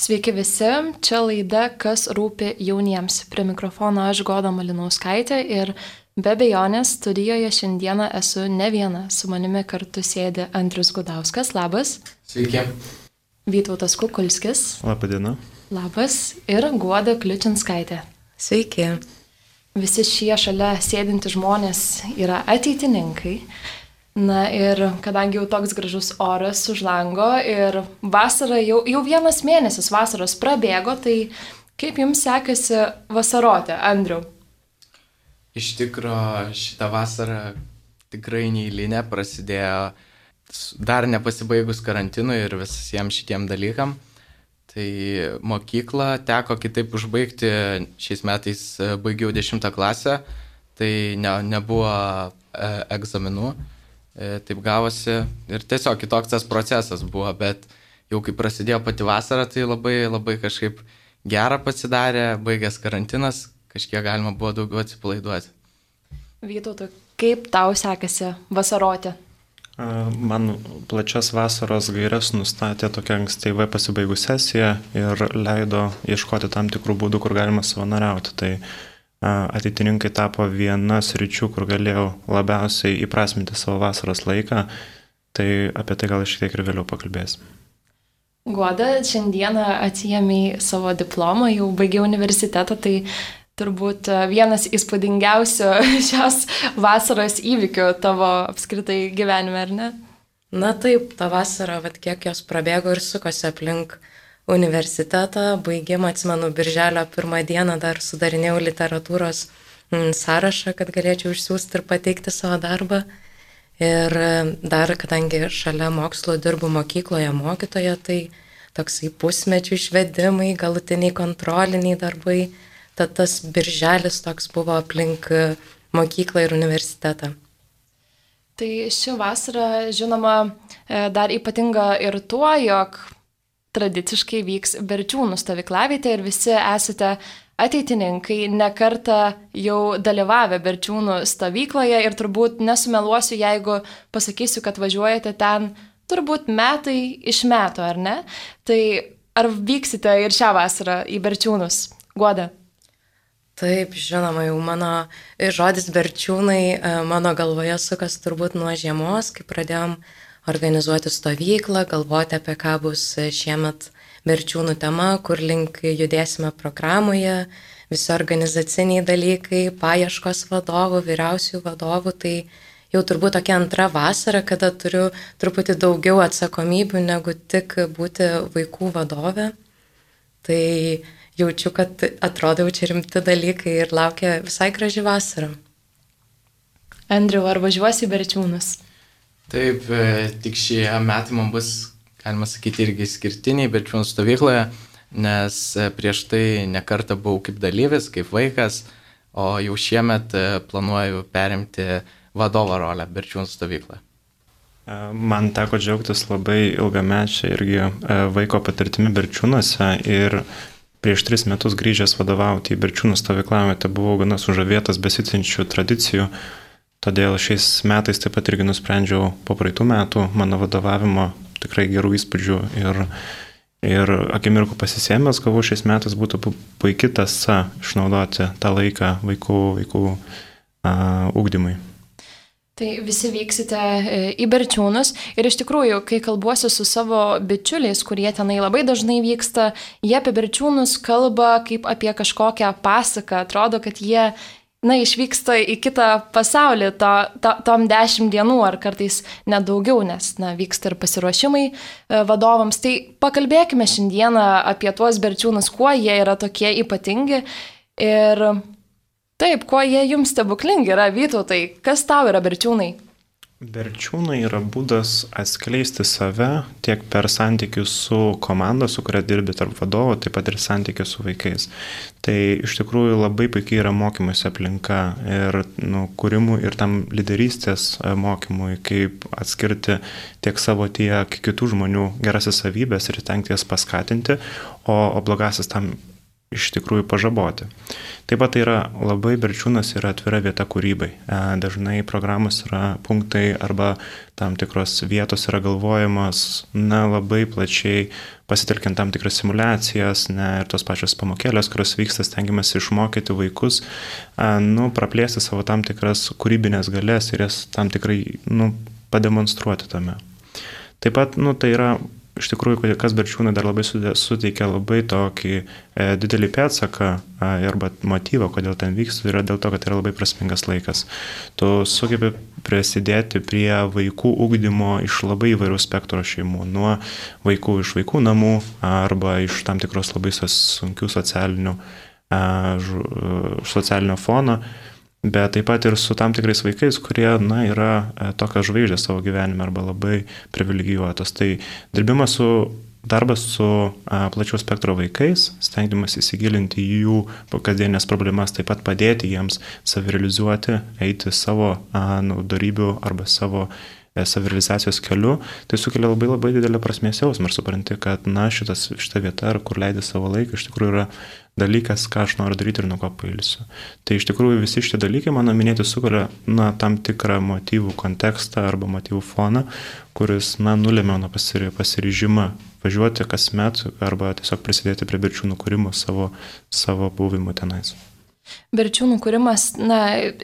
Sveiki visi, čia laida Kas rūpi jauniems. Prie mikrofono aš Goda Malinauskaitė ir be abejonės studijoje šiandieną esu ne viena. Su manimi kartu sėdi Andrius Gudauskas, labas. Sveiki. Vytautas Kukulskis. Labadiena. Labas. Ir Guoda Kliučinskaitė. Sveiki. Visi šie šalia sėdinti žmonės yra ateitininkai. Na ir kadangi jau toks gražus oras už lango ir vasara jau vienas mėnesis vasaros prabėgo, tai kaip jums sekasi vasaroti, Andriau? Iš tikro šitą vasarą tikrai neeilinė, prasidėjo dar nepasibaigus karantinui ir visiems šitiem dalykam. Tai mokyklą teko kitaip užbaigti, šiais metais baigiau 10 klasę, tai nebuvo egzaminų. Taip gavosi ir tiesiog kitoks tas procesas buvo, bet jau kai prasidėjo pati vasara, tai labai kažkaip gera pasidarė, baigęs karantinas, kažkiek galima buvo daugiau atsipalaiduoti. Vytautai, kaip tau sekasi vasaroti? Man plačias vasaros gaires nustatė tokia ankstyvai pasibaigus sesija ir leido ieškoti tam tikrų būdų, kur galima savanoriauti. Tai ateitininkai tapo viena sričių, kur galėjau labiausiai įprasminti savo vasaros laiką, tai apie tai gal šiek tiek ir vėliau pakalbėsim. Guoda, šiandieną atsiėmei savo diplomą, jau baigiau universitetą, tai turbūt vienas įspūdingiausių šios vasaros įvykių tavo apskritai gyvenime, ar ne? Na taip, ta vasara, kiek jos prabėgo ir sukosi aplink universitetą, baigimą, atsimenu, birželio 1 dieną dar sudarinėjau literatūros sąrašą, kad galėčiau išsiųsti ir pateikti savo darbą. Ir dar, kadangi šalia mokslo dirbu mokykloje mokytoja, tai toksai pusmečių išvedimai, galutiniai kontroliniai darbai, tad tas birželis toks buvo aplink mokyklą ir universitetą. Tai ši vasara, žinoma, dar ypatinga ir tuo, jog tradiciškai vyks Berčiūnų stovyklavietė ir visi esate ateitininkai, ne kartą jau dalyvavę Berčiūnų stovykloje ir turbūt nesumeluosiu, jeigu pasakysiu, kad važiuojate ten turbūt metai iš metų, ar ne? Tai ar vyksite ir šią vasarą į Berčiūnus? Guoda? Taip, žinoma, jau mano žodis Berčiūnai mano galvoje sukas turbūt nuo žiemos, kai pradėjom organizuoti stovyklą, galvoti apie ką bus šiemet Berčiūnų tema, kur link judėsime programoje, visi organizaciniai dalykai, paieškos vadovų, vyriausių vadovų, tai jau turbūt tokia antra vasara, kada turiu truputį daugiau atsakomybių negu tik būti vaikų vadovė. Tai jaučiu, kad atrodo čia rimti dalykai ir laukia visai graži vasara. Andriau, ar važiuosi į Berčiūnus? Taip, tik šie metai man bus, galima sakyti, irgi skirtiniai Berčiūnų stovykloje, nes prieš tai nekartą buvau kaip dalyvis, kaip vaikas, o jau šiemet planuoju perimti vadovo rolę Berčiūnų stovykloje. Man teko džiaugtis labai ilgamečia irgi vaiko patirtimi Berčiūnuose ir prieš 3 metus grįžęs vadovauti į Berčiūnų stovyklavietę buvau gana sužavėtas besitinčių tradicijų. Todėl šiais metais taip pat irgi nusprendžiau po praeitų metų mano vadovavimo tikrai gerų įspūdžių ir akimirkų pasisėmęs gavau šiais metais būtų puiki tąsa išnaudoti tą laiką vaikų ugdymui. Tai visi vyksite į Berčiūnus ir iš tikrųjų, kai kalbuosi su savo bičiuliais, kurie tenai labai dažnai vyksta, jie apie Berčiūnus kalba kaip apie kažkokią pasaką, atrodo, kad jie išvyksta į kitą pasaulį tom 10 dienų ar kartais net daugiau, nes vyksta ir pasiruošimai vadovams. Tai pakalbėkime šiandieną apie tuos Berčiūnus, kuo jie yra tokie ypatingi ir taip, kuo jie jums stebuklingi yra. Vytautai, kas tau yra Berčiūnai? Berčiūnai yra būdas atskleisti save tiek per santykius su komanda, su kuria dirbi tarp vadovų, taip pat ir santykius su vaikais. Tai iš tikrųjų labai puikiai yra mokymosi aplinka ir kūrimui ir tam lyderystės mokymui, kaip atskirti tiek savo, tiek kitų žmonių gerasis savybės ir stengti jas paskatinti, o blogasis tam iš tikrųjų pažaboti. Taip pat tai yra labai Berčiūnas yra atvira vieta kūrybai. Dažnai programos yra punktai arba tam tikros vietos yra galvojamos labai plačiai pasitelkiant tam tikras simulacijas, ir tos pačios pamokėlės, kurios vyksta, stengiamasi išmokyti vaikus, praplėsti savo tam tikras kūrybinės galės ir jas tam tikrai, pademonstruoti tame. Taip pat, tai yra iš tikrųjų, kas Berčiūnai dar labai suteikia labai tokį didelį pėdsaką arba motyvą, kodėl ten vyksta, yra dėl to, kad yra labai prasmingas laikas. Tu sugebi prisidėti prie vaikų ugdymo iš labai įvairių spektro šeimų, nuo vaikų iš vaikų namų arba iš tam tikros labai sunkių socialinio fono, bet taip pat ir su tam tikrais vaikais, kurie, yra tokios žvaigždės savo gyvenime arba labai privilegijuotos. Tai darbas su plačiaus spektro vaikais, stengiamas įsigilinti į jų kasdienės problemas, taip pat padėti jiems savirealizuoti, eiti savo darybių arba savo savirealizacijos keliu, tai sukelia labai labai didelę prasmės jausmą ir supranti, kad šita vieta, kur leidai savo laiką, iš tikrųjų yra dalykas, ką aš noriu daryti ir nuo ko pailsiu. Tai iš tikrųjų visi šitie dalykai, mano minėti, sukuria tam tikrą motyvų kontekstą arba motyvų foną, kuris nulėmė mano pasiryžimą važiuoti kasmet arba tiesiog prisidėti prie Berčiūnų kūrimo savo buvimu tenais. Berčiūnų kūrimas,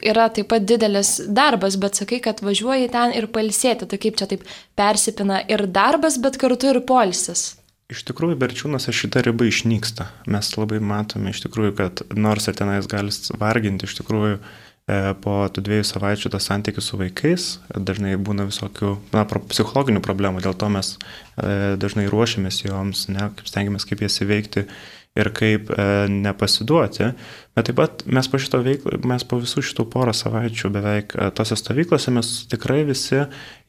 yra taip pat didelis darbas, bet sakai, kad važiuoji ten ir pailsėti, tai kaip čia taip persipina ir darbas, bet kartu ir poilsis. Iš tikrųjų, Berčiūnuose šita riba išnyksta. Mes labai matome iš tikrųjų, kad nors ir tenais gali varginti, iš tikrųjų po tų 2 savaičių tas santykis su vaikais, dažnai būna visokių psichologinių problemų, dėl to mes dažnai ruošiamės joms, stengiamės kaip jas įveikti ir kaip nepasiduoti, bet taip pat mes po visų šitų porą savaičių beveik tose stovyklose mes tikrai visi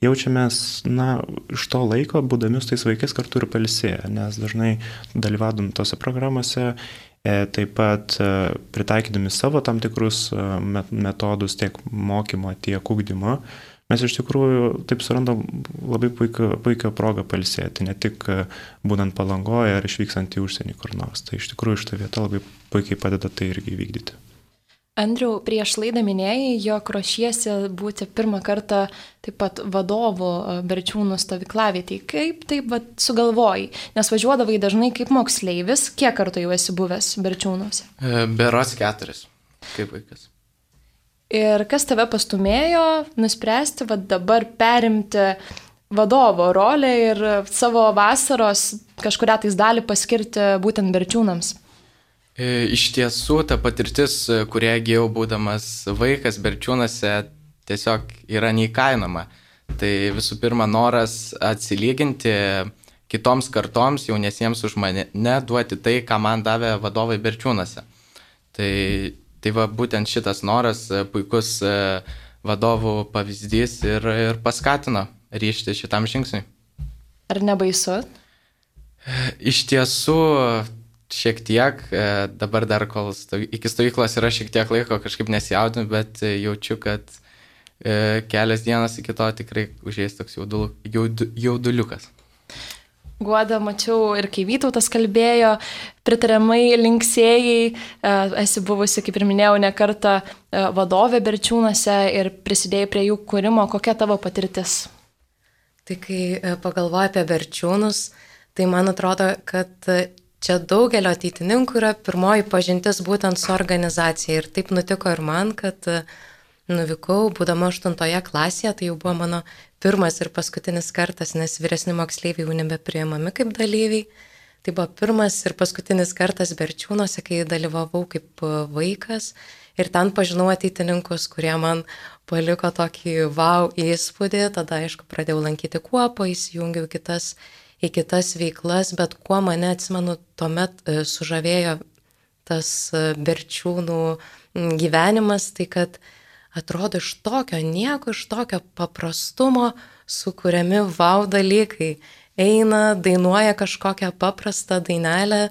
jaučiamės, iš to laiko, būdami su tais vaikais kartu ir pailsėję, nes dažnai dalyvaudami tose programuose, taip pat pritaikydami savo tam tikrus metodus tiek mokymo, tiek ugdymo, mes iš tikrųjų taip surandam labai puikią progą pailsėti, ne tik būnant Palangoje ar išvykstant į užsienį kur nors. Tai iš tikrųjų šitą vietą labai puikiai padeda tai irgi įvykdyti. Andriau, prieš laidą minėjai, jog ruošiesi būti pirmą kartą taip pat vadovu Berčiūnų stovyklavietėj. Kaip taip sugalvojai? Nes važiuodavai dažnai kaip moksleivis. Kiek kartų jau esi buvęs Berčiūnuose? Berods 4, kaip vaikas. Ir kas tave pastumėjo nuspręsti dabar perimti vadovo rolę ir savo vasaros kažkurią tais dalį paskirti būtent Berčiūnams? Iš tiesų, ta patirtis, kurią įgijau būdamas vaikas Berčiūnuose, tiesiog yra neįkainoma. Tai visų pirma noras atsilyginti kitoms kartoms, jaunesiems už mane, duoti tai, ką man davė vadovai Berčiūnuose. Tai būtent šitas noras, puikus vadovų pavyzdys ir paskatino ryžti šitam žingsniui. Ar nebaisu? Iš tiesų, šiek tiek, dabar dar kol iki stovyklos yra šiek tiek laiko, kažkaip nesijaudinu, bet jaučiu, kad kelias dienas iki to tikrai užės toks jauduliukas. Guoda, mačiau ir kai Vytautas kalbėjo, pritariamai linksėjai, esi buvusi, kaip ir minėjau, ne kartą vadovė Berčiūnuose ir prisidėjai prie jų kūrimo. Kokia tavo patirtis? Tai kai pagalvoju apie Berčiūnus, tai man atrodo, kad čia daugelio ateitininkų yra pirmoji pažintis būtent su organizacija. Ir taip nutiko ir man, kad nuvykau, būdama 8 klasėje, tai jau buvo mano pirmas ir paskutinis kartas, nes vyresni moksleiviai jau nebepriimami kaip dalyviai. Tai buvo pirmas ir paskutinis kartas Berčiūnuose, kai dalyvavau kaip vaikas. Ir ten pažinau ateitininkus, kurie man paliko tokį wow įspūdį. Tada, aišku, pradėjau lankyti kuopą, įsijungiau į kitas veiklas, bet kuo mane, atsimenu, tuomet sužavėjo tas Berčiūnų gyvenimas, tai kad atrodo iš tokio nieko, iš tokio paprastumo sukuriami wow dalykai. Eina, dainuoja kažkokią paprastą dainelę.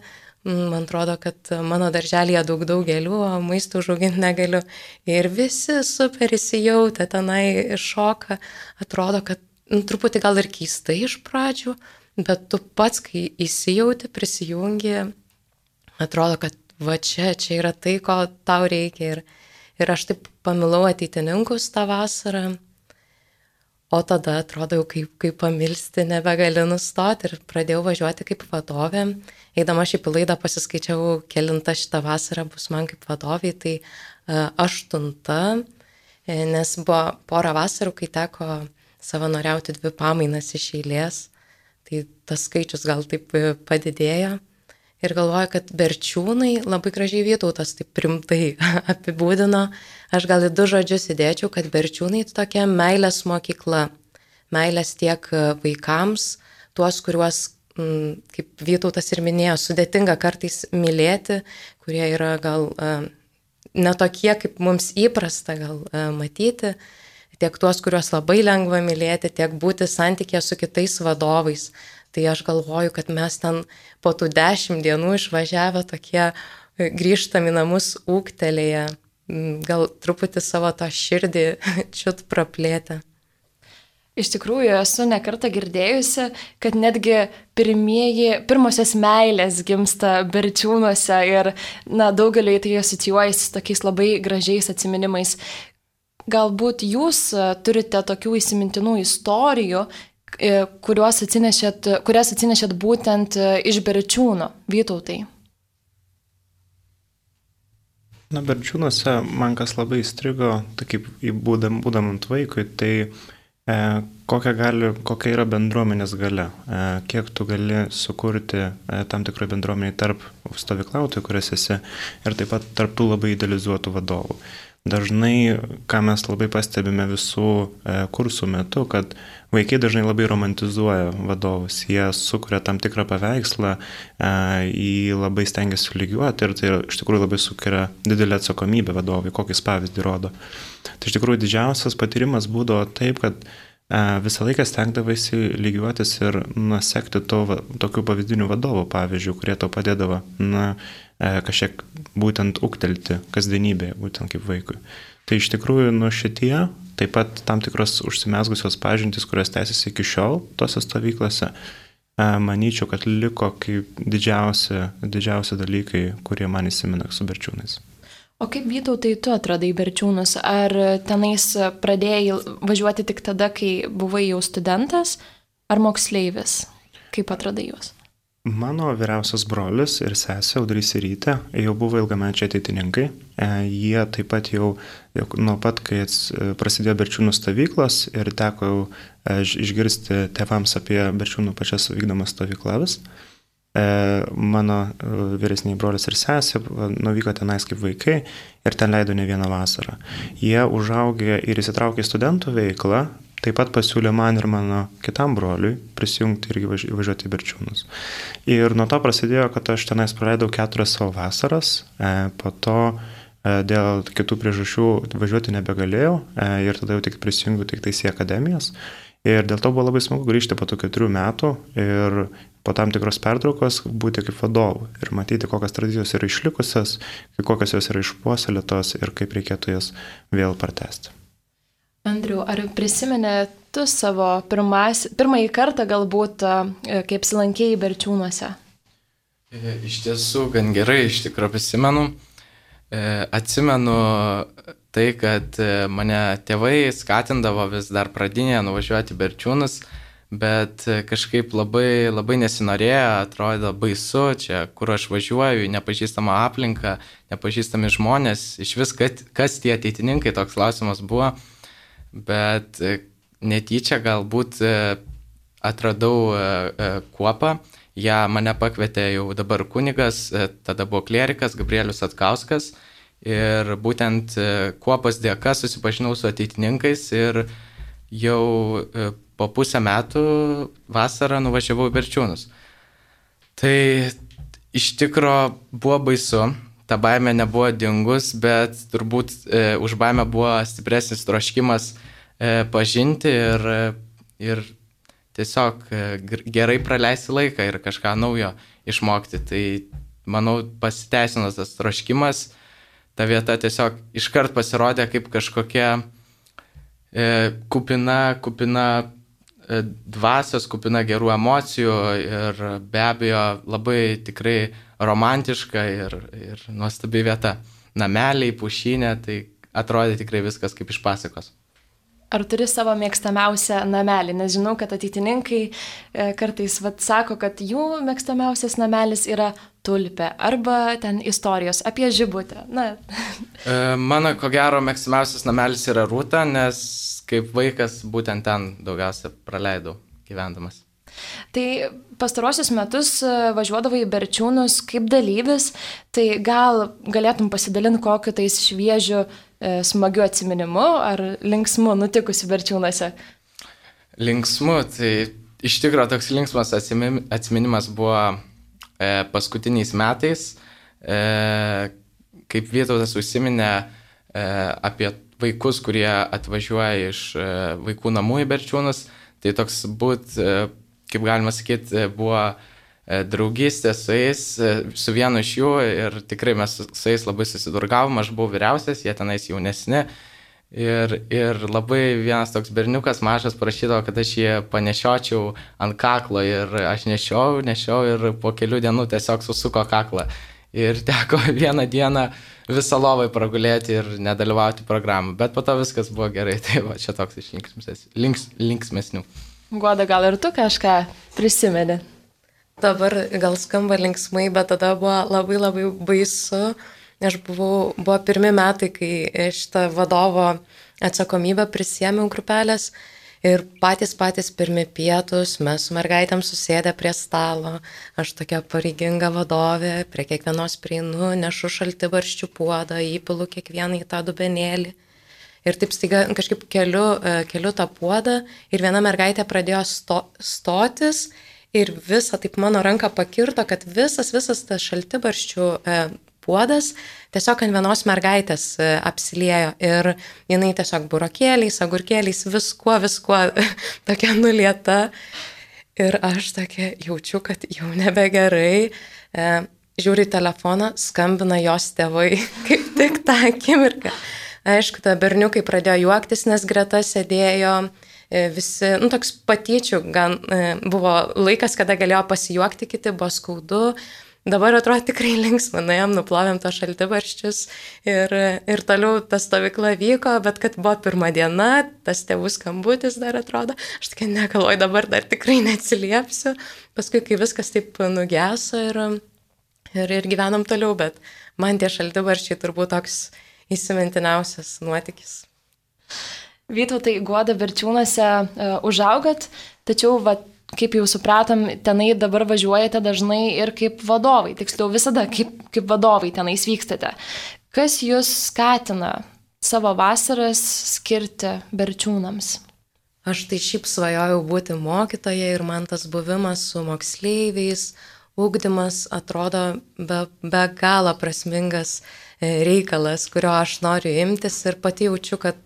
Man atrodo, kad mano darželėje daug gėlių, o maistą užauginti negaliu. Ir visi super įsijautę tenai šoka. Atrodo, kad truputį gal ir keistai iš pradžių, bet tu pats, kai įsijauti, prisijungi, atrodo, kad va čia yra tai, ko tau reikia. Ir aš taip pamilau ateitininkus tą vasarą. O tada atrodo jau kaip pamilsti nebegali nustoti ir pradėjau važiuoti kaip vadovė. Eidama šiaip į laidą pasiskaičiau, kelinta šitą vasarą bus man kaip vadoviai, tai 8, nes buvo porą vasarų, kai teko savanoriauti 2 pamainas iš eilės, tai tas skaičius gal taip padidėjo. Ir galvoju, kad Berčiūnai labai gražiai Vytautas taip rimtai apibūdino. Aš gal į 2 žodžius įdėčiau, kad Berčiūnai tokia meilės mokykla. Meilės tiek vaikams, tuos, kuriuos, kaip Vytautas ir minėjo, sudėtinga kartais mylėti, kurie yra gal netokie, kaip mums įprasta gal matyti, tiek tuos, kuriuos labai lengva mylėti, tiek būti santykėje su kitais vadovais. Tai aš galvoju, kad mes ten po tų 10 dienų išvažiavę tokie grįžtam į namus ūgtelėję, gal truputį savo tą širdį čiut praplėtę. Iš tikrųjų, esu nekartą girdėjusi, kad netgi pirmosios meilės gimsta Berčiūnuose ir daugeliui tai asocijuojasi su tokiais labai gražiais atsiminimais. Galbūt jūs turite tokių įsimintinų istorijų, kurias atsinešėt būtent iš Berčiūno, Vytautai? Berčiūnuose man kas labai įstrigo, tai kaip būdamant vaikui, tai kokia yra bendruomenės galia, kiek tu gali sukurti tam tikrai bendruomeniai tarp stovyklautojų, kurias esi, ir taip pat tarp tų labai idealizuotų vadovų. Dažnai, ką mes labai pastebime visų kursų metu, kad vaikai dažnai labai romantizuoja vadovus, jie sukuria tam tikrą paveikslą, jį labai stengiasi lygiuoti ir tai iš tikrųjų labai sukuria didelę atsakomybę vadovui, kokį pavyzdį rodo. Tai iš tikrųjų didžiausias patyrimas būdavo taip, kad visą laiką stengdavaisi lygiuotis ir nusekti tokių pavyzdinių vadovų, pavyzdžių, kurie tau padėdavo kažkiek būtent ūgtelti kasdienybėje, būtent kaip vaikui. Tai iš tikrųjų šitie, taip pat tam tikros užsimezgusios pažintys, kurios tęsiasi iki šiol tose stovyklose, manyčiau, kad liko kaip didžiausi dalykai, kurie man įsimena su Berčiūnais. O kaip Vytautai tu atradai Berčiūnus? Ar tenais pradėjai važiuoti tik tada, kai buvai jau studentas, ar moksleivis? Kaip atradai juos? Mano vyriausias brolis ir sesė Audrys ir Rytė jau buvo ilgamečiai ateitininkai. Jie taip pat jau nuo pat, kai prasidėjo Berčiūnų stovyklos ir teko išgirsti tėvams apie Berčiūnų pačias vykdomas stovyklas. Mano vyresniai brolis ir sesė nuvyko tenais kaip vaikai ir ten leido ne vieną vasarą. Jie užaugė ir įsitraukė į studentų veiklą, taip pat pasiūlė man ir mano kitam broliui prisijungti ir važiuoti į Berčiūnus. Ir nuo to prasidėjo, kad aš tenais praleidau 4 savo vasaras, po to dėl kitų priežasčių važiuoti nebegalėjau ir tada jau tik prisijungiau tik tais į akademijas. Ir dėl to buvo labai smagu grįžti po tų 4 metų ir po tam tikros pertraukos būti kaip vadovu ir matyti, kokios tradicijos yra išlikusios, kokios jos yra išpuoselėtos ir kaip reikėtų jas vėl pratęsti. Andriau, ar prisimeni tu savo pirmąjį kartą galbūt, kaip apsilankėjai Berčiūnuose? Iš tiesų, gan gerai, iš tikrųjų prisimenu. Atsimenu tai, kad mane tėvai skatindavo vis dar pradinėje nuvažiuoti Berčiūnus, bet kažkaip labai, labai nesinorėjo, atrodo baisu, čia kur aš važiuoju, nepažįstama aplinka, nepažįstami žmonės, iš vis kas tie ateitininkai, toks klausimas buvo, bet netyčia galbūt atradau kuopą, ją mane pakvietė jau dabar kunigas, tada buvo klierikas Gabrielius Atkauskas ir būtent kuopos dėka susipažinau su ateitininkais ir jau po pusę metų vasarą nuvažiavau į Berčiūnus. Tai iš tikro buvo baisu, ta baimė nebuvo dingus, bet turbūt už baimę buvo stipresnis troškimas pažinti ir tiesiog gerai praleisti laiką ir kažką naujo išmokti. Tai, manau, pasiteisino tas troškimas. Ta vieta tiesiog iškart pasirodė kaip kažkokia kupina dvasios, kupina gerų emocijų ir be abejo labai tikrai romantiška ir nuostabi vieta. Nameliai, pušynė, tai atrodė tikrai viskas kaip iš pasakos. Ar turi savo mėgstamiausią namelį? Nes žinau, kad ateitininkai kartais sako, kad jų mėgstamiausias namelis yra tulpė arba ten istorijos apie žibutę. Na. Mano, ko gero, mėgstamiausias namelis yra Rūta, nes kaip vaikas būtent ten daugiausia praleidau gyvendamas. Tai pastarosius metus važiuodavai į Berčiūnus kaip dalyvis, tai gal galėtum pasidalinti kokiu tais šviežiu smagiu atsiminimu ar linksmu nutikusi Berčiūnuose? Linksmu, tai iš tikrųjų toks linksmas atsiminimas buvo paskutiniais metais, kaip Vytautas užsiminė apie vaikus, kurie atvažiuoja iš vaikų namų į Berčiūnus, tai toks kaip galima sakyti, buvo draugystė su jais, su vienu iš jų ir tikrai mes su jais labai susidurgavom, aš buvau vyriausias, jie tenais jaunesni ir labai vienas toks berniukas mažas prašydavo, kad aš jį panešiočiau ant kaklo ir aš nešiau ir po kelių dienų tiesiog susuko kaklą ir teko vieną dieną visą lovai pragulėti ir nedalyvauti programą, bet po to viskas buvo gerai, tai va čia toks iš linksmesnių. Guoda, gal ir tu kažką prisimeni? Dabar gal skamba linksmai, bet tada buvo labai labai baisu. Aš buvo pirmi metai, kai šitą vadovo atsakomybę prisėmiau grupelės ir patys pirmi pietus mes su mergaitėm susėdę prie stalo. Aš tokia pareiginga vadovė, prie kiekvienos prieinu, nešu šaltibarščių puodą, įpilu kiekvieną į tą dubenėlį. Ir taip staiga kažkaip keliu tą puodą ir viena mergaitė pradėjo stotis ir visą taip mano ranką pakirto, kad visas tas šaltibarščių puodas tiesiog ant vienos mergaitės apsiliejo ir jinai tiesiog burokėliais, agurkėliais, viskuo tokia nulieta. Ir aš tokia jaučiu, kad jau nebegerai. Žiūri į telefoną, skambina jos tėvai kaip tik tą akimirką. Aišku, ta berniukai pradėjo juoktis, nes greta sėdėjo visi, toks patyčių, gan buvo laikas, kada galėjo pasijuokti, kiti buvo skaudu. Dabar atrodo tikrai linksma, nuėjom, nuplovėm to šaltibarščius ir toliau ta stovykla vyko, bet kad buvo pirma diena, tas tėvų skambutis dar atrodo, aš tokia negalvoju, dabar dar tikrai neatsiliepsiu. Paskui, kai viskas taip nugeso ir gyvenom toliau, bet man tie šaltibarščiai turbūt toks įsimintiniausias nuotykis. Vytautai, Guoda, Berčiūnuose užaugat, tačiau, kaip jau supratom, tenai dabar važiuojate dažnai ir kaip vadovai, tiksliau visada kaip vadovai tenais vykstate. Kas jūs skatina savo vasaras skirti Berčiūnams? Aš tai šiaip svajojau būti mokytoja ir man tas buvimas su moksleiviais, ugdymas atrodo be galo prasmingas reikalas, kurio aš noriu imtis ir pati jaučiu, kad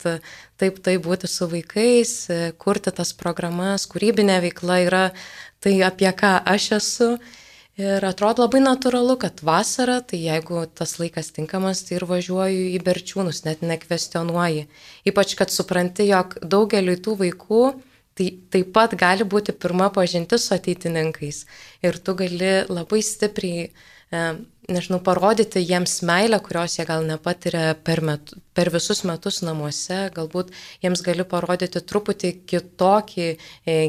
taip būti su vaikais, kurti tas programas, kūrybinė veikla yra tai, apie ką aš esu. Ir atrodo labai natūralu, kad vasara, tai jeigu tas laikas tinkamas, tai ir važiuoju į Berčiūnus, net nekvestionuoji. Ypač, kad supranti, jog daugeliui tų vaikų tai taip pat gali būti pirma pažintis su ateitininkais. Ir tu gali labai stipriai parodyti jiems meilę, kurios jie gal nepatiria per visus metus namuose, galbūt jiems gali parodyti truputį kitokį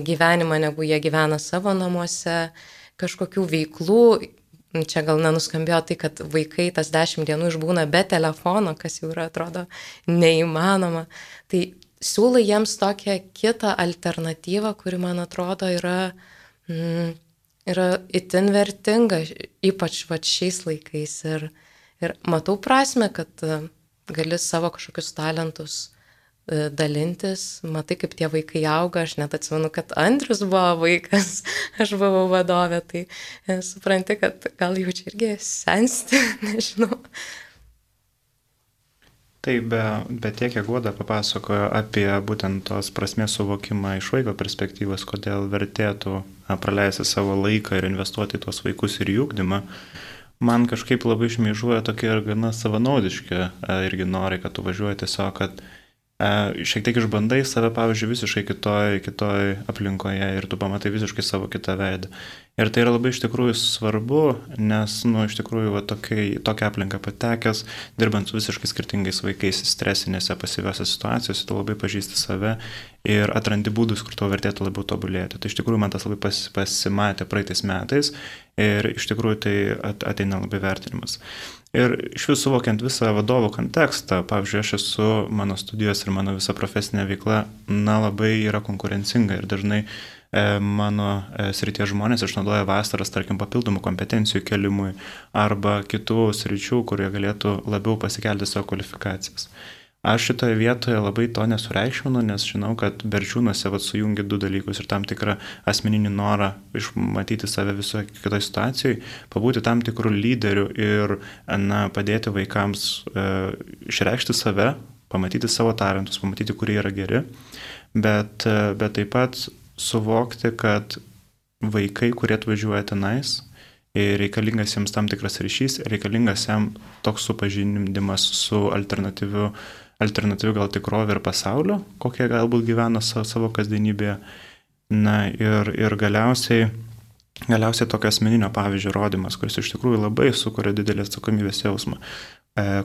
gyvenimą, negu jie gyvena savo namuose, kažkokių veiklų. Čia gal nenuskambėjo tai, kad vaikai tas 10 dienų išbūna be telefono, kas jau yra, atrodo, neįmanoma. Tai siūlai jiems tokią kitą alternatyvą, kuri, man atrodo, yra itin vertinga, ypač šiais laikais. Ir matau prasme, kad gali savo kažkokius talentus dalintis, matai, kaip tie vaikai auga, aš net atsimenu, kad Andrius buvo vaikas, aš buvau vadovė, tai supranti, kad gal jau čia irgi sensti, nežinau. Taip, bet tiek, kiek Guoda papasakojo apie būtent tos prasmės suvokimą iš vaiko perspektyvos, kodėl vertėtų praleisti savo laiką ir investuoti į tos vaikus ir jų ugdymą, man kažkaip labai šmėžuoja tokie ir gana savanaudiški irgi norai, kad tu važiuoji tiesiog, kad šiek tiek išbandai save, pavyzdžiui, visiškai kitoj aplinkoje ir tu pamatai visiškai savo kitą veidą. Ir tai yra labai iš tikrųjų svarbu, nes, iš tikrųjų, tokia aplinka patekęs, dirbant su visiškai skirtingais vaikais stresinėse, pasyviose situacijose, tu labai pažįsti save ir atrandi būdus, kur tau vertėtų labiau tobulėti. Tai iš tikrųjų man tas labai pasimatė praeitais metais ir iš tikrųjų tai ateina labai vertinimas. Ir iš visų suvokiant visą vadovo kontekstą, pavyzdžiui, mano studijos ir mano visa profesinė veikla, labai yra konkurencinga ir dažnai mano srities žmonės išnaudoja vasaras, tarkim, papildomų kompetencijų kelimui arba kitų sričių, kurie galėtų labiau pasikelti savo kvalifikacijas. Aš šitoje vietoje labai to nesureikšminu, nes žinau, kad Berčiūnuose sujungia du dalykus ir tam tikrą asmeninį norą išmatyti save visoje kitoje situacijoje, pabūti tam tikrų lyderių ir padėti vaikams išreikšti save, pamatyti savo talentus, pamatyti, kurie yra geri, bet taip pat suvokti, kad vaikai, kurie atvažiuoja tenais, reikalingas jiems tam tikras ryšys, reikalingas jam toks supažinimas su alternatyviu gal tikrovė ir pasaulio, kokie galbūt gyvena savo kasdienybėje. Ir galiausiai tokio asmeninio pavyzdžio rodymas, kuris iš tikrųjų labai sukuria didelį atsakomybės jausmą.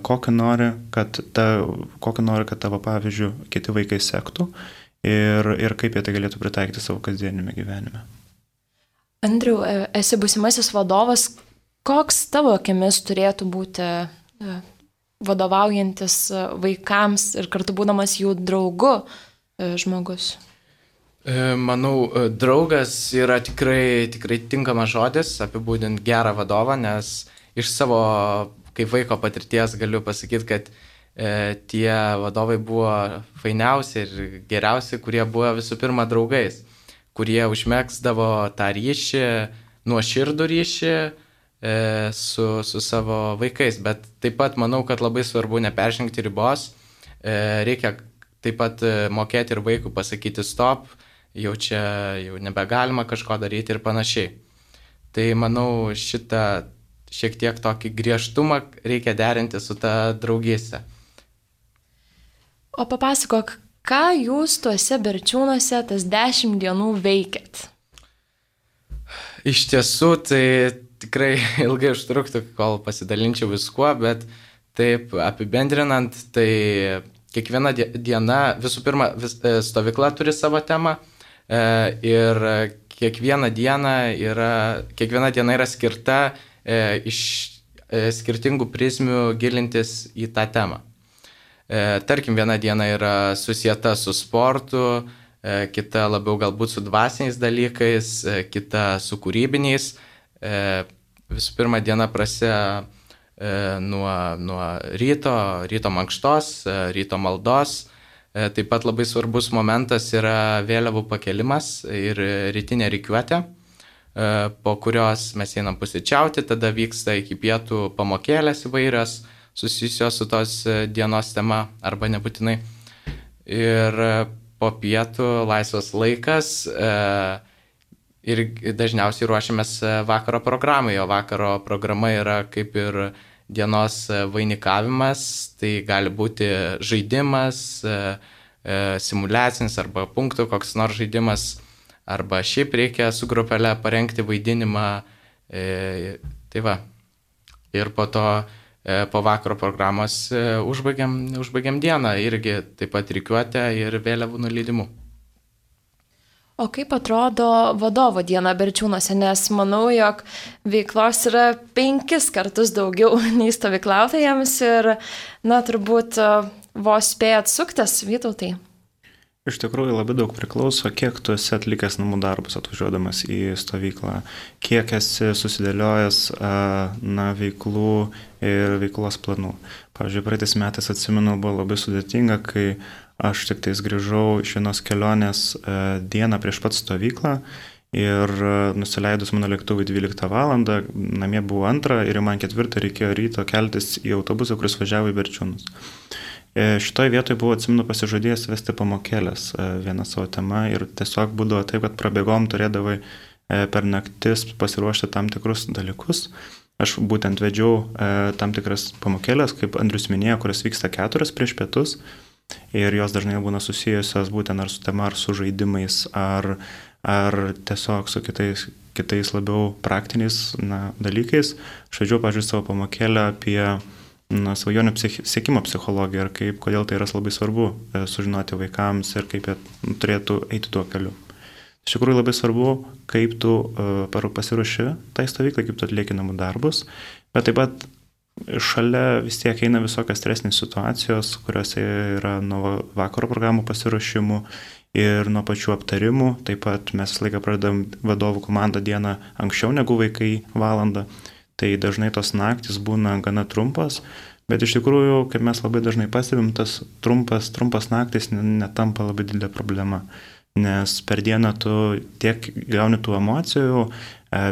Kokį nori, kad tavo pavyzdžių kiti vaikai sektų, ir kaip jie tai galėtų pritaikyti savo kasdienime gyvenime. Andriau, esi būsimasis vadovas. Koks tavo akimis turėtų būti vadovaujantis vaikams ir kartu būdamas jų draugu žmogus? Manau, draugas yra tikrai tinkamas žodis apibūdinti gerą vadovą, nes iš savo kaip vaiko patirties galiu pasakyti, kad tie vadovai buvo fainiausi ir geriausi, kurie buvo visų pirma draugais, kurie užmegzdavo tą ryšį, nuoširdų ryšį su savo vaikais. Bet taip pat manau, kad labai svarbu neperžengti ribos, reikia taip pat mokėti ir vaikui pasakyti stop, jau nebegalima kažko daryti ir panašiai. Tai manau, šitą šiek tiek tokį griežtumą reikia derinti su ta draugystė. O papasakok, ką jūs tuose Berčiūnuose tas 10 dienų veikėt? Iš tiesų, tai tikrai ilgai užtruktų, kol pasidalinčiau viskuo, bet taip apibendrinant, tai kiekviena diena, visų pirma, stovykla turi savo temą ir kiekviena diena yra skirta iš skirtingų prizmių gilintis į tą temą. Tarkim, viena diena yra susieta su sportu, kita labiau galbūt su dvasiniais dalykais, kita su kūrybiniais. Visų pirma, diena prasideda nuo ryto mankštos, ryto maldos. Taip pat labai svarbus momentas yra vėliavų pakelimas ir rytinė rikiuotė, po kurios mes einam pusryčiauti, tada vyksta iki pietų pamokėlės įvairios, susijusios su tos dienos tema arba nebūtinai. Ir po pietų laisvas laikas ir dažniausiai ruošiamės vakaro programai, o vakaro programa yra kaip ir dienos vainikavimas, tai gali būti žaidimas, simuliacinis arba punktų koks nors žaidimas, arba šiaip reikia su grupelė parengti vaidinimą. Tai va. Ir po to po vakaro programos užbaigiam dieną irgi taip pat rikiuotę ir vėliavų nuleidimu. O kaip atrodo vadovo diena Berčiūnuose, nes manau, jog veiklos yra 5 kartus daugiau nei stovyklautojams ir, turbūt vos spėjat suktis, Vytautai. Iš tikrųjų labai daug priklauso, kiek tu esi atlikęs namų darbus atvažiuodamas į stovyklą, kiek esi susidėliojęs veiklų ir veiklos planų. Pavyzdžiui, praeitais metais atsimenu, buvo labai sudėtinga, kai aš tik tais grįžau iš vienos kelionės dieną prieš pat stovyklą ir nusileidus mano lėktuvui 12 valandą, namie buvo 2 ir man 4 reikėjo ryto keltis į autobusą, kuris važiavo į Berčiūnus. Šitoje vietoje buvo, atsimenu, pasižadėjęs vesti pamokėlės vieną savo temą ir tiesiog būdavo taip, kad prabėgom turėdavai per naktis pasiruošti tam tikrus dalykus. Aš būtent vedžiau tam tikras pamokėlės, kaip Andrius minėjo, kurios vyksta 4 prieš pietus ir jos dažnai būna susijusios būtent ar su tema, ar su žaidimais, ar ar tiesiog su kitais labiau praktiniais dalykais. Aš vedžiau, pavyzdžiui, savo pamokėlę apie svajonių siekimo psichologiją ir kodėl tai yra labai svarbu sužinoti vaikams ir kaip jie turėtų eiti tuo keliu. Iš tikrųjų labai svarbu, kaip tu pasiruoši tai stovyklai, kaip tu atlieki namų darbus, bet taip pat šalia vis tiek eina visokios stresinės situacijos, kuriuose yra nuo vakaro programų pasiruošimų ir nuo pačių aptarimų. Taip pat mes visą laiką pradedam vadovų komandą dieną anksčiau negu vaikai valandą. Tai dažnai tos naktis būna gana trumpas, bet iš tikrųjų, kaip mes labai dažnai pastebim, tas trumpas naktis netampa labai didelė problema. Nes per dieną tu tiek gauni tų emocijų,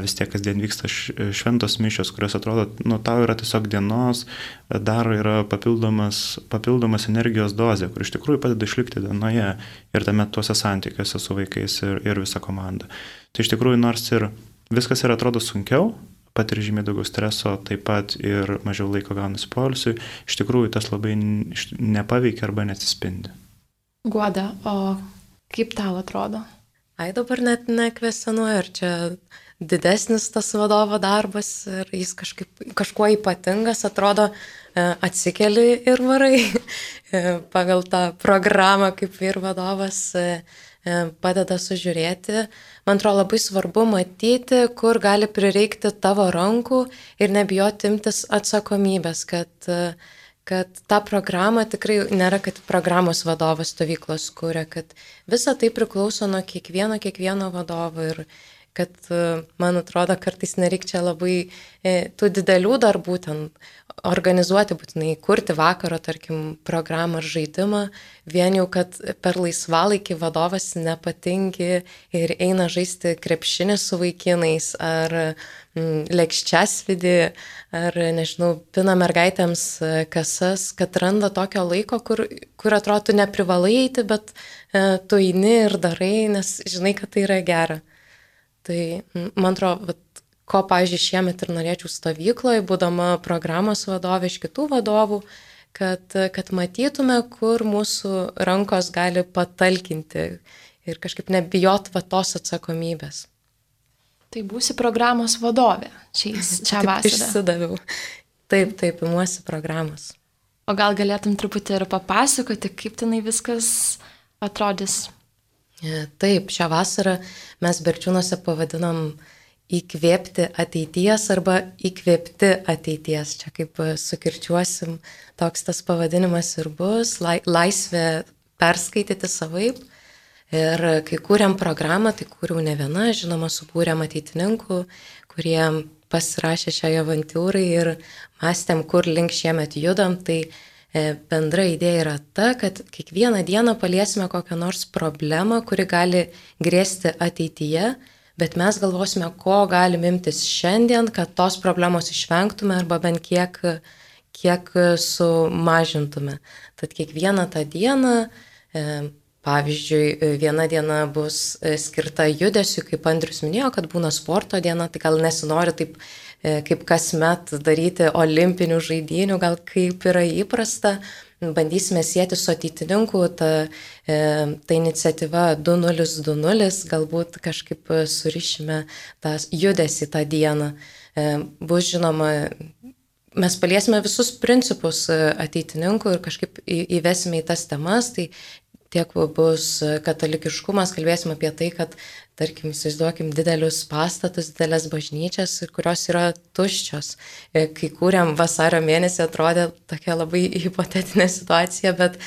vis tiek kasdien vyksta šventos mišios, kurios atrodo, tau yra tiesiog dienos, dar yra papildomas energijos dozė, kur iš tikrųjų padeda išlikti dienoje ir tame tuose santykiuose su vaikais ir visa komanda. Tai iš tikrųjų, nors ir viskas ir atrodo sunkiau, patiri žymiai daugiau streso, taip pat ir mažiau laiko gaunasi poilsiui, iš tikrųjų tas labai nepaveikia arba neatsispindi. Guoda, o kaip tau atrodo? Dabar net nekvestionuoju, ar čia didesnis tas vadovo darbas ir jis kažkuo ypatingas, atrodo, atsikeli ir varai pagal tą programą, kaip vyr vadovas padeda sužiūrėti. Man atrodo labai svarbu matyti, kur gali prireikti tavo rankų ir nebijoti imtis atsakomybės, kad ta programa tikrai nėra, kad programos vadovas stovyklos kuria, kad visa tai priklauso nuo kiekvieno vadovo ir kad, man atrodo, kartais nereikia čia labai tų didelių darbų ten organizuoti, būtinai kurti vakaro, tarkim, programą ar žaidimą, vien jau, kad per laisvalaikį vadovas nepatingi ir eina žaisti krepšinį su vaikinais ar lėkščiasvidį, ar, nežinau, pina mergaitėms kasas, kad randa tokio laiko, kur atrodo, tu neprivalai eiti, bet tu eini ir darai, nes žinai, kad tai yra gera. Tai, man atrodo, ko, pavyzdžiui, šiemet ir norėčiau stovykloje, būdama programos vadovė iš kitų vadovų, kad matytume, kur mūsų rankos gali patalkinti ir kažkaip nebijot tos atsakomybės. Tai būsi programos vadovė šią vasarą. Išsidaviau. Taip, imuosi programos. O gal galėtum truputį ir papasakoti, kaip tenai viskas atrodys? Taip, šią vasarą mes Berčiūnuose pavadinom įkvėpti ateities arba įkvėpti ateities. Čia kaip sukirčiuosim, toks tas pavadinimas ir bus, laisvė perskaityti savaip. Ir kai kūrėm programą, tai kūriau ne viena, žinoma, subūrėm ateitininkų, kurie pasirašė šiai avantūrai ir mąstėm, kur link šiemet judam. Tai bendra idėja yra ta, kad kiekvieną dieną paliesime kokią nors problemą, kuri gali grėsti ateityje, bet mes galvosime, ko galim imtis šiandien, kad tos problemos išvengtume arba bent kiek sumažintume. Tad kiekvieną tą dieną, pavyzdžiui, viena diena bus skirta judesiui, kaip Andrius minėjo, kad būna sporto diena, tai gal nesinori taip kaip kasmet daryti olimpinių žaidynių, gal kaip yra įprasta, bandysime sieti su ateitininku, ta iniciatyva 2020, galbūt kažkaip surišime tą judesį tą dieną. Bus žinoma, mes paliesime visus principus ateitininkų ir kažkaip įvesime į tas temas, tai tiek bus katalikiškumas, kalbėsim apie tai, kad, tarkim, įsivaizduokim didelius pastatus, didelės bažnyčias, kurios yra tuščios. Kai kūrėm vasario mėnesį, atrodė tokia labai hipotetinė situacija, bet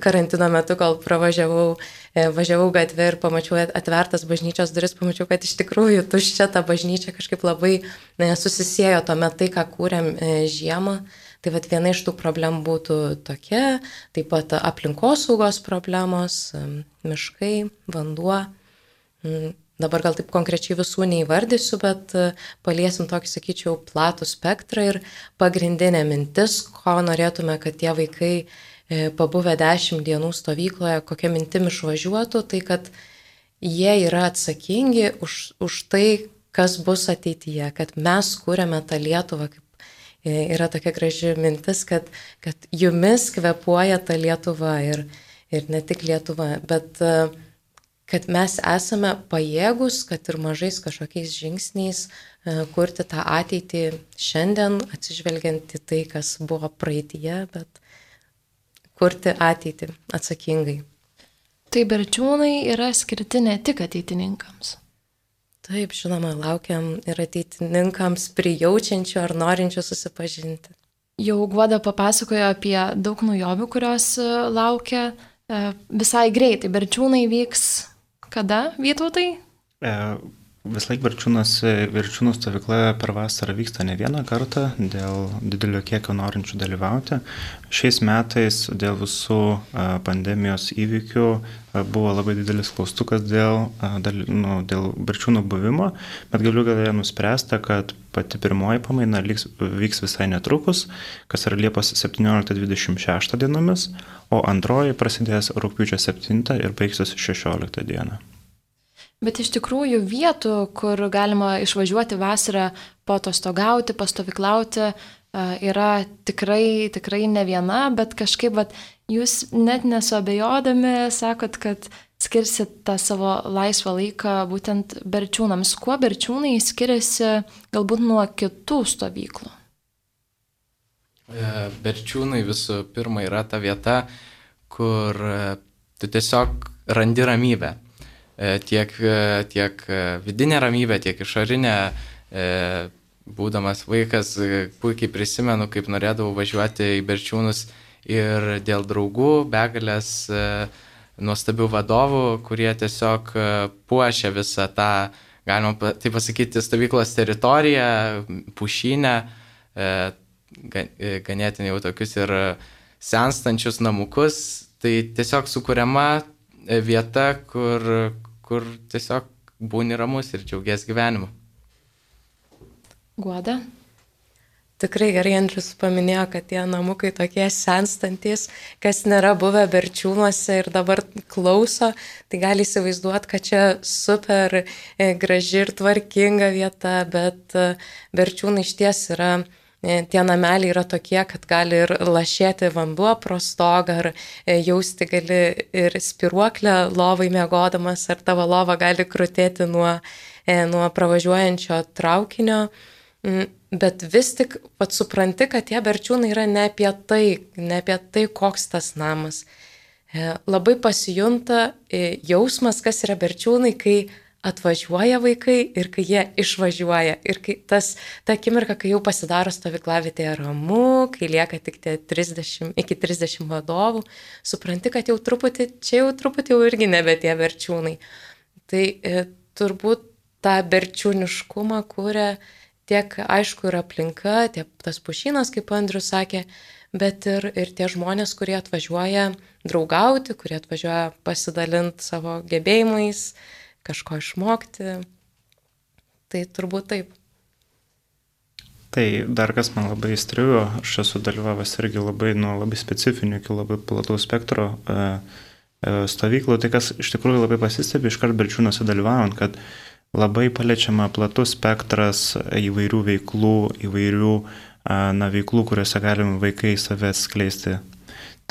karantino metu, kol važiavau gatvę ir pamačiau atvertas bažnyčios duris, pamačiau, kad iš tikrųjų tuščia ta bažnyčia kažkaip labai susisiejo tuomet tai, ką kūrėm žiemą. Tai viena iš tų problemų būtų tokia, taip pat aplinkosaugos problemos, miškai, vanduo. Dabar gal taip konkrečiai visų neįvardysiu, bet paliesim tokį, sakyčiau, platų spektrą ir pagrindinė mintis, ko norėtume, kad tie vaikai pabuvę 10 dienų stovykloje, kokia mintim išvažiuotų, tai kad jie yra atsakingi už tai, kas bus ateityje, kad mes kūrėme tą Lietuvą, kaip yra tokia graži mintis, kad jumis kvėpuoja ta Lietuva ir ne tik Lietuva, bet kad mes esame pajėgus, kad ir mažais kažkokiais žingsniais kurti tą ateitį šiandien, atsižvelgiant į tai, kas buvo praeitie, bet kurti ateitį atsakingai. Tai Berčiūnai yra skirti ne tik ateitininkams. Taip, žinoma, laukiam ir ateitininkams prijaučiančių ar norinčių susipažinti. Jau Guoda papasakojo apie daug naujovių, kurios laukia visai greitai. Berčiūnai vyks kada, Vytautai? Vis laik Berčiūnų stovykla per vasarą vyksta ne vieną kartą dėl didelio kiekio norinčių dalyvauti. Šiais metais dėl visų pandemijos įvykių buvo labai didelis klaustukas dėl Berčiūnų buvimo, bet galiu galėję nuspręsta, kad pati pirmoji pamaina vyks visai netrukus, kas yra Liepos 17-26 dienomis, o antroji prasidės rugpjūčio 7 ir baigsis 16 dieną. Bet iš tikrųjų vietų, kur galima išvažiuoti vasarą paatostogauti, pastovyklauti, yra tikrai ne viena, bet kažkaip jūs net nesuabejodami sakot, kad skirsit tą savo laisvą laiką būtent Berčiūnams. Kuo Berčiūnai skiriasi galbūt nuo kitų stovyklų? Berčiūnai visų pirma yra ta vieta, kur tu tiesiog randi ramybę. Tiek vidinė ramybė, tiek išorinė. Būdamas vaikas, puikiai prisimenu, kaip norėdavau važiuoti į Berčiūnus ir dėl draugų, begalės nuostabių vadovų, kurie tiesiog puošia visą tą, galima taip pasakyti, stovyklos teritoriją, pušynę, ganėtinai jau tokius ir senstančius namukus. Tai tiesiog sukuriama vieta, kur tiesiog būni ramus ir džiaugies gyvenimu. Guoda? Tikrai gerai Andrius paminėjo, kad tie namukai tokie senstantis, kas nėra buvę Berčiūnuose ir dabar klauso, tai gali įsivaizduoti, kad čia super graži ir tvarkinga vieta, bet Berčiūnai išties yra. Tie nameliai yra tokie, kad gali ir lašėti vanduo pro stogą, ar jausti gali ir spiruoklę lovai miegodamas, ar tavo lova gali krutėti nuo pravažiuojančio traukinio. Bet vis tik pats supranti, kad tie Berčiūnai yra ne apie tai, koks tas namas. Labai pasijunta jausmas, kas yra Berčiūnai, kai atvažiuoja vaikai ir kai jie išvažiuoja. Ir kai ta akimirka, kai jau pasidaro stovyklavietėje ramu, kai lieka tik iki 30 vadovų, supranti, kad jau truputį irgi nebe tie Berčiūnai. Tai turbūt tą berčiūniškumą kuria tiek, aišku, ir aplinka, tas pušynas, kaip Andrius sakė, bet ir tie žmonės, kurie atvažiuoja draugauti, kurie atvažiuoja pasidalinti savo gebėjimais, kažko išmokti. Tai turbūt taip. Tai dar kas man labai įstrigo, aš esu dalyvavęs irgi labai specifinių iki labai plataus spektro stovyklų, tai kas iš tikrųjų labai pasistebi iškart Berčiūnuose dalyvaujant, kad labai paliečiama platus spektras įvairių veiklų, veiklų, kuriuose galime vaikai save skleisti.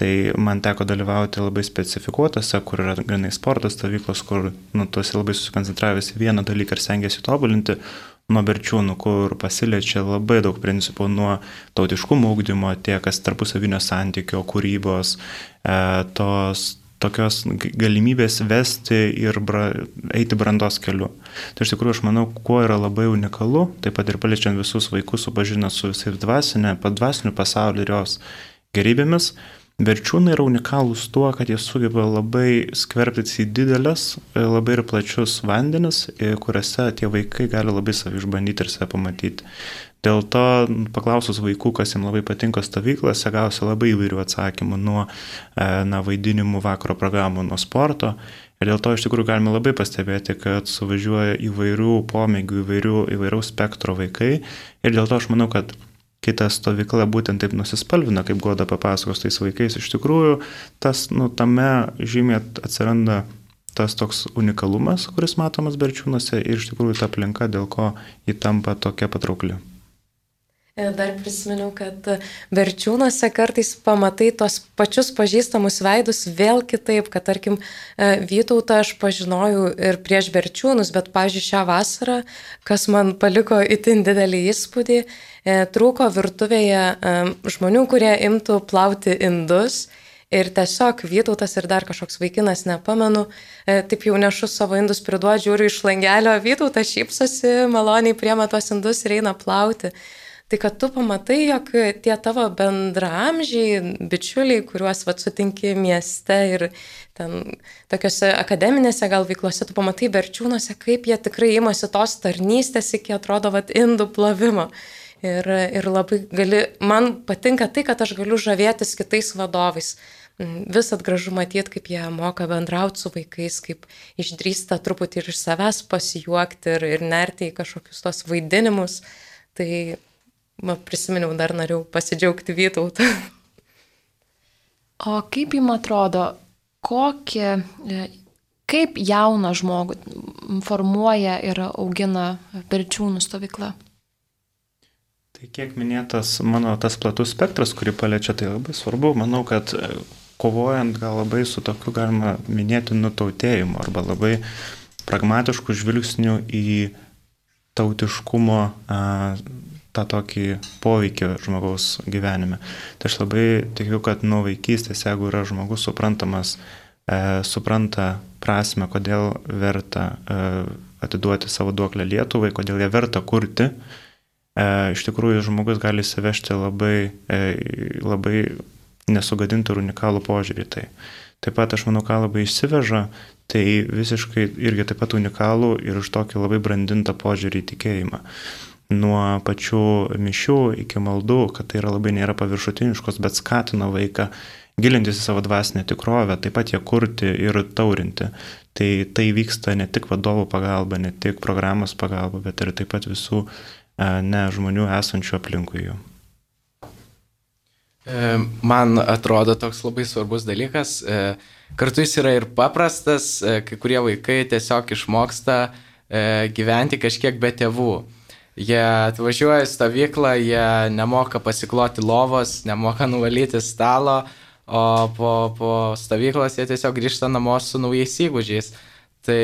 Tai man teko dalyvauti labai specifikuotose, kur yra grinai sportas stovyklos, kur tu esi labai susikoncentravęs į vieną dalyką ir stengiasi tobulinti, nuo Berčiūnų, kur pasiliečia labai daug principų nuo tautiškumo ugdymo, tiek tarpusavinio santykio, kūrybos, tokios galimybės vesti ir eiti brandos keliu. Tai iš tikrųjų aš manau, kuo yra labai unikalu, taip pat ir paliečiant visus vaikus, supažinant su visais dvasiniu pasauliu ir jos gerybėmis. Berčiūnai yra unikalūs tuo, kad jie sugeba labai skverbtis į didelės, labai ir plačius vandenis, kuriuose tie vaikai gali labai savį išbandyti ir save pamatyti. Dėl to, paklausus vaikų, kas jiems labai patinka stovyklose, gausi labai įvairių atsakymų nuo vaidinimų, vakaro programų, nuo sporto. Ir dėl to iš tikrųjų galime labai pastebėti, kad suvažiuoja įvairių pomėgių, įvairiaus spektro vaikai. Ir dėl to aš manau, kad kita stovykla būtent taip nusispalvina, kaip Goda papasakos tais vaikais. Iš tikrųjų, tame žymiai atsiranda tas toks unikalumas, kuris matomas Berčiūnuose ir iš tikrųjų ta aplinka, dėl ko ji tampa tokia patraukli. Dar prisiminiau, kad Berčiūnuose kartais pamatai tos pačius pažįstamus veidus vėl kitaip, kad tarkim Vytautą aš pažinojau ir prieš Berčiūnus, bet, pavyzdžiui, šią vasarą, kas man paliko itin didelį įspūdį, trūko virtuvėje žmonių, kurie imtų plauti indus. Ir tiesiog Vytautas ir dar kažkoks vaikinas, nepamenu, taip jau nešu savo indus, priduodu, žiūriu iš langelio, Vytautas šypsosi, maloniai priema tuos indus ir eina plauti. Tai kad tu pamatai, jog tie tavo bendraamžiai, bičiuliai, kuriuos sutinki mieste ir ten tokiuose akademinėse gal veiklose, tu pamatai Berčiūnuose, kaip jie tikrai imasi tos tarnystės iki atrodo indų plovimo. Ir labai man patinka tai, kad aš galiu žavėtis kitais vadovais. Visat gražu matyti, kaip jie moka bendrauti su vaikais, kaip išdrįsta truputį ir iš savęs pasijuokti ir nerti į kažkokius tos vaidinimus. Tai prisiminiau, dar norėjau pasidžiaugti Vytautą. O kaip jums atrodo, kaip jauną žmogų formuoja ir augina Berčiūnų stovykla? Tai kiek minėtas mano tas platus spektras, kurį paliečia, tai labai svarbu. Manau, kad kovojant gal labai su tokiu galima minėti nutautėjimu arba labai pragmatišku žvilgsniu į tautiškumo tą tokį poveikį žmogaus gyvenime. Tai aš labai tikiu, kad nuo vaikystės, jeigu yra žmogus supranta prasme, kodėl verta atiduoti savo duoklę Lietuvai, kodėl ją verta kurti, iš tikrųjų žmogus gali įsivežti labai nesugadinti ir unikalų požiūrį. Taip pat aš manau, ką labai išsiveža, tai visiškai irgi taip pat unikalų ir už tokį labai brandintą požiūrį į tikėjimą. Nuo pačių mišių iki maldų, kad tai labai nėra paviršutiniškos, bet skatina vaiką gilintis į savo dvasinę tikrovę, taip pat ją kurti ir taurinti. Tai vyksta ne tik vadovų pagalba, ne tik programos pagalba, bet ir taip pat visų žmonių esančių aplinkui jų. Man atrodo toks labai svarbus dalykas. Kartu jis yra ir paprastas, kai kurie vaikai tiesiog išmoksta gyventi kažkiek be tėvų. Jie atvažiuoja į stovyklą, jie nemoka pasikloti lovos, nemoka nuvalyti stalo, o po stovyklos jie tiesiog grįžta namo su naujais įgūdžiais. Tai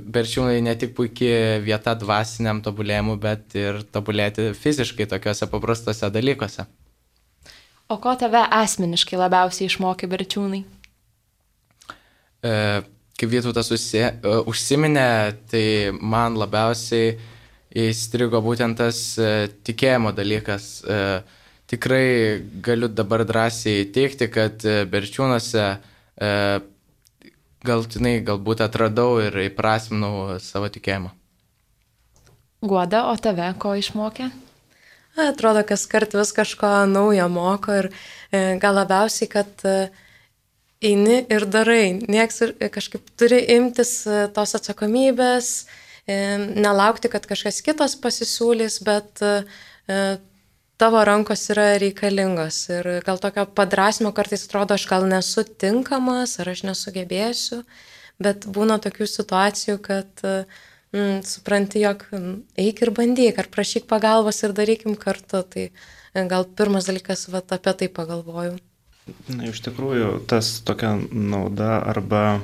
Berčiūnai ne tik puikiai vieta dvasiniam tobulėjimui, bet ir tobulėti fiziškai tokiuose paprastose dalykuose. O ko tave asmeniškai labiausiai išmokė Berčiūnai? Kaip Vytautas užsiminė, tai man labiausiai įstrigo būtent tas tikėjimo dalykas. Tikrai galiu dabar drąsiai teigti, kad Berčiūnuose galbūt atradau ir įprasminau savo tikėjimą. Guoda, o tave ko išmokė? Atrodo, kas kart vis kažko naujo moko ir gal labiausiai, kad eini ir darai. Nieks kažkaip turi imtis tos atsakomybės, nelaukti, kad kažkas kitas pasisiūlys, bet tavo rankos yra reikalingos. Ir gal tokio padrasimo kartais atrodo, aš gal nesu tinkamas, ar aš nesugebėsiu, bet būna tokių situacijų, kad supranti, jog eik ir bandyk, ar prašyk pagalbos ir darykim kartu. Tai gal pirmas dalykas, apie tai pagalvoju. Na, iš tikrųjų, tas tokia nauda arba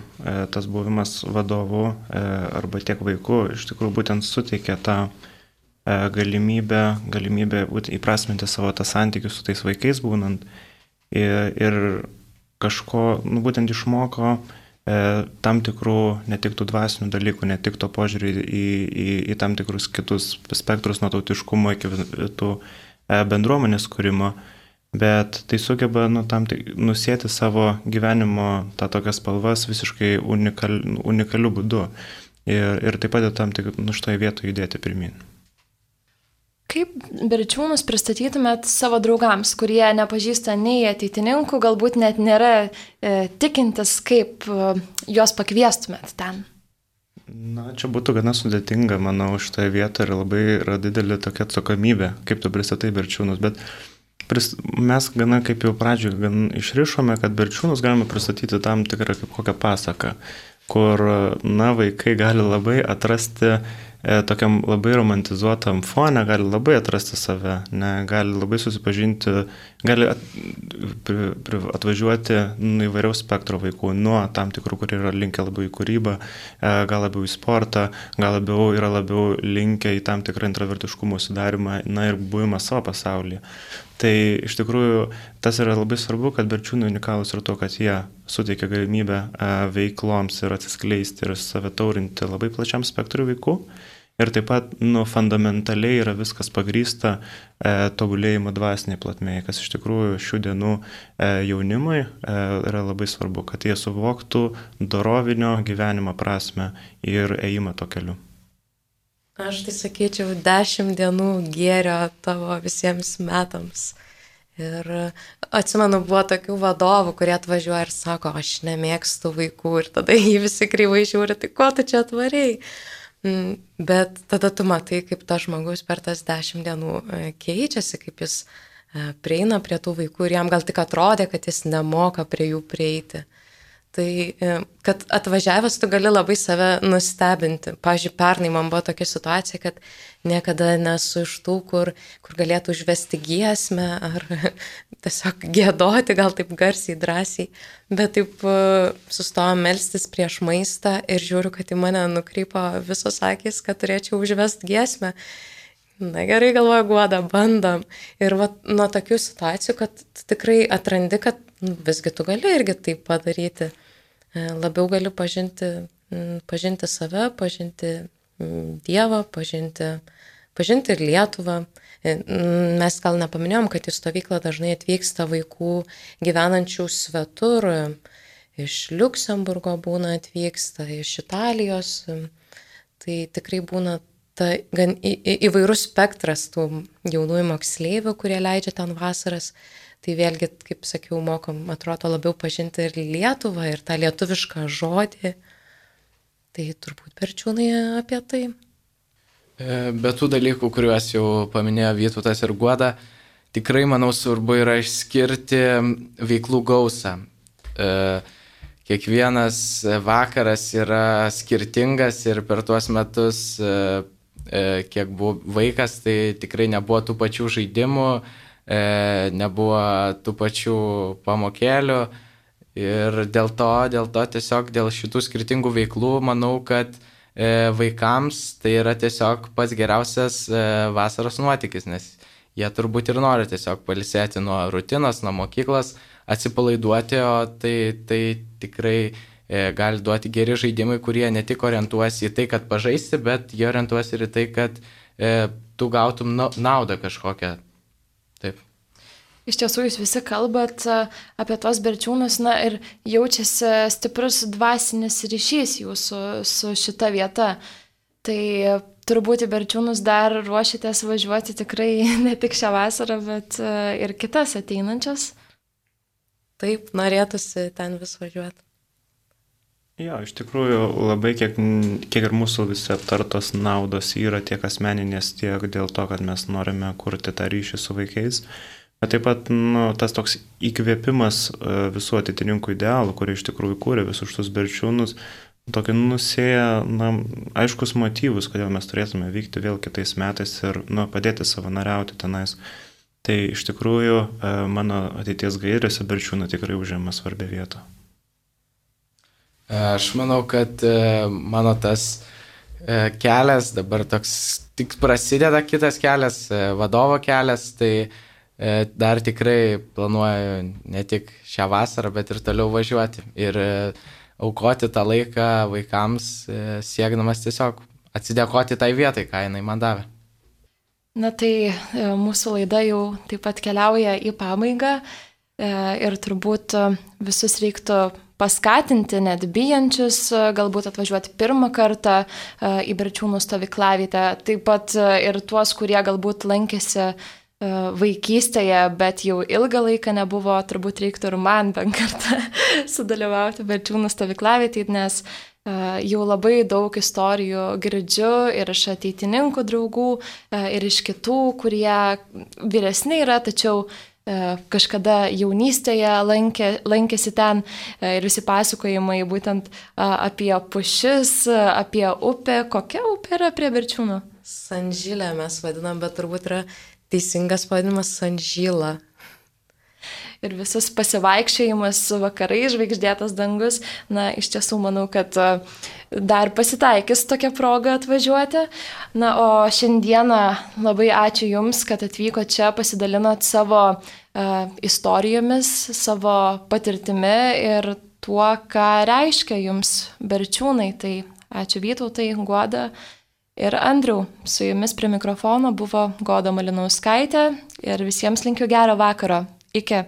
tas buvimas vadovu arba tiek vaikų, iš tikrųjų būtent suteikia tą galimybę įprasminti savo tą santykių su tais vaikais būnant ir kažko, būtent išmoko tam tikrų, ne tik tų dvasinių dalykų, ne tik to požiūrį į tam tikrus kitus spektrus nuo tautiškumo iki tų bendruomenės kūrimo, bet tai sugeba nusėti savo gyvenimo tą tokias spalvas visiškai unikaliu būdu ir taip pat tam tik šitoje vietoje judėti pirmin. Kaip Berčiūnus pristatytumėt savo draugams, kurie nepažįsta nei ateitininkų, galbūt net nėra tikintis, kaip juos pakviestumėt ten? Na, čia būtų gana sudėtinga, manau, šitoje vietoje ir labai yra didelė tokia atsakomybė, kaip tu pristatai Berčiūnus, bet mes gana, kaip jau pradžioje išrišome, kad Berčiūnus galime pristatyti tam tikrą kaip kokią pasaką, kur, vaikai gali labai atrasti tokiam labai romantizuotam fone gali labai atrasti save, gali labai susipažinti, gali atvažiuoti įvairiaus spektro vaikų, nuo tam tikrų, kurie yra linkę labiau į kūrybą, gal labiau į sportą, gal yra labiau linkę į tam tikrą introvertiškumo sudarimą, ir buvimą savo pasaulyje. Tai iš tikrųjų tas yra labai svarbu, kad Berčiūnai unikalūs ir to, kad jie suteikia galimybę veikloms ir atsiskleisti ir save taurinti labai plačiam spektrui vaikų. Ir taip pat fundamentaliai yra viskas pagrįsta tobulėjimo dvasiniai plotmėje, kas iš tikrųjų šių dienų jaunimui yra labai svarbu, kad jie suvoktų dorovinio gyvenimo prasme ir ėjimą to keliu. Aš tai sakyčiau 10 dienų gėrio tavo visiems metams. Ir atsimenu, buvo tokių vadovų, kurie atvažiuoja ir sako, aš nemėgstu vaikų ir tada jį visi kreivai žiūri, tai ko tu čia atvarėjai? Bet tada tu matai, kaip tas žmogus per tas 10 dienų keičiasi, kaip jis prieina prie tų vaikų ir jam gal tik atrodė, kad jis nemoka prie jų prieiti. Tai, kad atvažiavęs tu gali labai save nustebinti. Pavyzdžiui, pernai man buvo tokia situacija, kad niekada nesu iš tų, kur galėtų užvesti giesmę ar tiesiog giedoti, gal taip garsiai, drąsiai. Bet taip sustojom melstis prieš maistą ir žiūriu, kad į mane nukrypo visos akys, kad turėčiau užvesti giesmę. Na gerai, galvoju, Guoda, bandom. Ir nuo tokių situacijų, kad tikrai atrandi, kad visgi tu gali irgi taip padaryti. Labiau gali pažinti save, pažinti Dievą, pažinti ir Lietuvą. Mes gal nepaminėjom, kad į stovyklą dažnai atvyksta vaikų gyvenančių svetur, iš Liuksemburgo būna atvyksta, iš Italijos. Tai tikrai būna gan įvairus spektras tų jaunųjų moksleivių, kurie leidžia ten vasaras. Tai vėlgi, kaip sakiau, mokom, atrodo, labiau pažinti ir Lietuvą, ir tą lietuvišką žodį. Tai turbūt Berčiūnai apie tai. Be tų dalykų, kuriuos jau paminėjo Vytautas ir Guoda, tikrai, manau, svarbu yra išskirti veiklų gausą. Kiekvienas vakaras yra skirtingas ir per tuos metus, kiek buvo vaikas, tai tikrai nebuvo tų pačių žaidimų, nebuvo tų pačių pamokėlių ir dėl to tiesiog dėl šitų skirtingų veiklų manau, kad vaikams tai yra tiesiog pats geriausias vasaros nuotykis, nes jie turbūt ir nori tiesiog pailsėti nuo rutinos, nuo mokyklos, atsipalaiduoti, o tai tikrai gali duoti geri žaidimai, kurie ne tik orientuosi į tai, kad pažaisti, bet jie orientuosi ir į tai, kad tu gautum naudą kažkokią. Taip. Iš tiesų, jūs visi kalbat apie tos Berčiūnus, ir jaučiasi stiprus dvasinis ryšys jūsų su šita vieta. Tai turbūt į Berčiūnus dar ruošitės važiuoti tikrai ne tik šią vasarą, bet ir kitas ateinančias. Taip, norėtųsi ten vis važiuoti. Jo, iš tikrųjų labai kiek ir mūsų visi aptartos naudos yra tiek asmeninės, tiek dėl to, kad mes norime kurti tą ryšį su vaikais. Bet taip pat tas toks įkvėpimas visų atitininkų idealų, kurie iš tikrųjų kūrė visus šitus Berčiūnus, tokį nusėja aiškus motyvus, kodėl mes turėtume vykti vėl kitais metais ir padėti savanoriauti tenais. Tai iš tikrųjų mano ateities gairėse Berčiūnai tikrai užima svarbią vietą. Aš manau, kad mano tas kelias, dabar toks tik prasideda kitas kelias, vadovo kelias, tai dar tikrai planuoju ne tik šią vasarą, bet ir toliau važiuoti ir aukoti tą laiką vaikams, siekdamas tiesiog atsidėkoti tai vietai, ką jinai man davė. Na tai mūsų laida jau taip pat keliauja į pabaigą ir turbūt visus reiktų paskatinti, net bijančius, galbūt atvažiuoti pirmą kartą į Berčiūnų stovyklavietę, taip pat ir tuos, kurie galbūt lankėsi vaikystėje, bet jau ilgą laiką nebuvo, turbūt reiktų ir man bent kartą sudalyvauti Berčiūnų stovyklavietėje, nes jau labai daug istorijų girdžiu ir iš ateitininkų draugų, ir iš kitų, kurie vyresni yra, tačiau kažkada jaunystėje lankėsi ten ir visi pasakojimai būtent apie pušis, apie upę. Kokia upė yra prie Berčiūnų? Sanžylę mes vadinam, bet turbūt yra teisingas pavadinimas Sanžyla. Ir visas pasivaikščiojimas vakarai, žvaigždėtas dangus, na, iš tiesų manau, kad dar pasitaikys tokia proga atvažiuoti. Na, o šiandieną labai ačiū Jums, kad atvyko čia, pasidalinot savo istorijomis, savo patirtimi ir tuo, ką reiškia Jums Berčiūnai. Tai ačiū Vytautai, Guoda ir Andriau. Su Jumis prie mikrofono buvo Goda Malinauskaitė ir visiems linkiu gero vakaro. Iki.